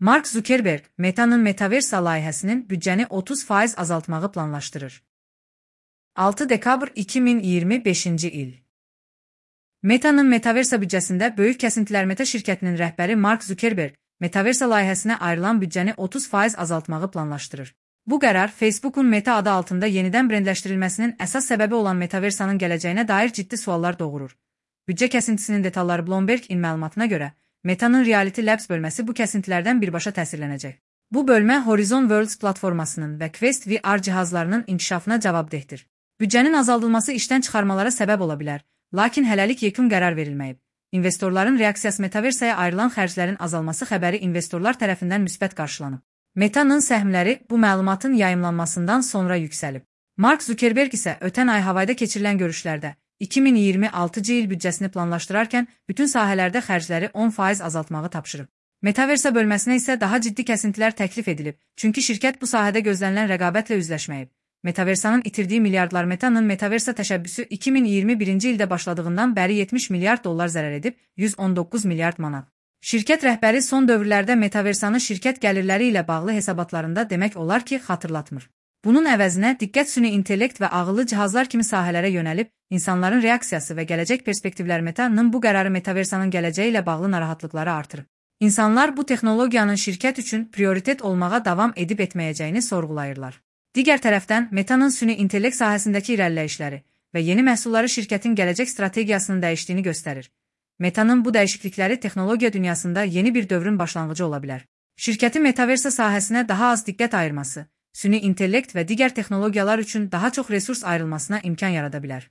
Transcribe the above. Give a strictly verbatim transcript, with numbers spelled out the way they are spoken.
Mark Zuckerberg, Meta'nın Metaverse layihəsinin büdcəni otuz faiz azaltmağı planlaşdırır. altı dekabr iki min iyirmi beşinci il. Meta'nın Metaverse büdcəsində böyük kəsintilər. Meta şirkətinin rəhbəri Mark Zuckerberg, Metaverse layihəsinə ayrılan büdcəni otuz faiz azaltmağı planlaşdırır. Bu qərar Facebook'un Meta adı altında yenidən brendləşdirilməsinin əsas səbəbi olan Metaverse'nin gələcəyinə dair ciddi suallar doğurur. Büdcə kəsintisinin detalları Bloomberg-in məlumatına görə, Meta'nın Reality Labs bölməsi bu kəsintilərdən birbaşa təsirlənəcək. Bu bölmə Horizon Worlds platformasının və Quest V R cihazlarının inkişafına cavabdehdir. Büdcənin azaldılması işdən çıxarmalara səbəb ola bilər, lakin hələlik yekun qərar verilməyib. İnvestorların reaksiyası Metaverse'yə ayrılan xərclərin azalması xəbəri investorlar tərəfindən müsbət qarşılanıb. Meta'nın səhmləri bu məlumatın yayımlanmasından sonra yüksəlib. Mark Zuckerberg isə ötən ay Havayda keçirilən görüşlərdə iki min iyirmi altıncı il büdcəsini planlaşdırarkən bütün sahələrdə xərcləri on faiz azaltmağı tapşırıb. Metaverse bölməsinə isə daha ciddi kəsintilər təklif edilib, çünki şirkət bu sahədə gözlənilən rəqabətlə üzləşməyib. Metaverse'nin itirdiyi milyardlar. Meta'nın Metaverse təşəbbüsü iki min iyirmi birinci ildə başladığından bəri yetmiş milyard dollar zərər edib, yüz on doqquz milyard manat. Şirkət rəhbəri son dövrlərdə Metaverse'nin şirkət gəlirləri ilə bağlı hesabatlarında demək olar ki, xatırlatmır. Bunun əvəzinə diqqət süni intellekt və ağıllı cihazlar kimi sahələrə yönəlib, insanların reaksiyası və gələcək perspektivlər. Meta'nın bu qərarı Metaverse'nin gələcəyi ilə bağlı narahatlıqları artırıb. İnsanlar bu texnologiyanın şirkət üçün prioritet olmağa davam edib etməyəcəyini sorğulayırlar. Digər tərəfdən, Meta'nın süni intellekt sahəsindəki irəliləyişləri və yeni məhsulları şirkətin gələcək strategiyasının dəyişdiyini göstərir. Meta'nın bu dəyişiklikləri texnologiya dünyasında yeni bir dövrün başlanğıcı ola bilər. Şirkətin Metaverse sahəsinə daha az diqqət ayırması, süni intellekt və digər texnologiyalar üçün daha çox resurs ayrılmasına imkan yarada bilər.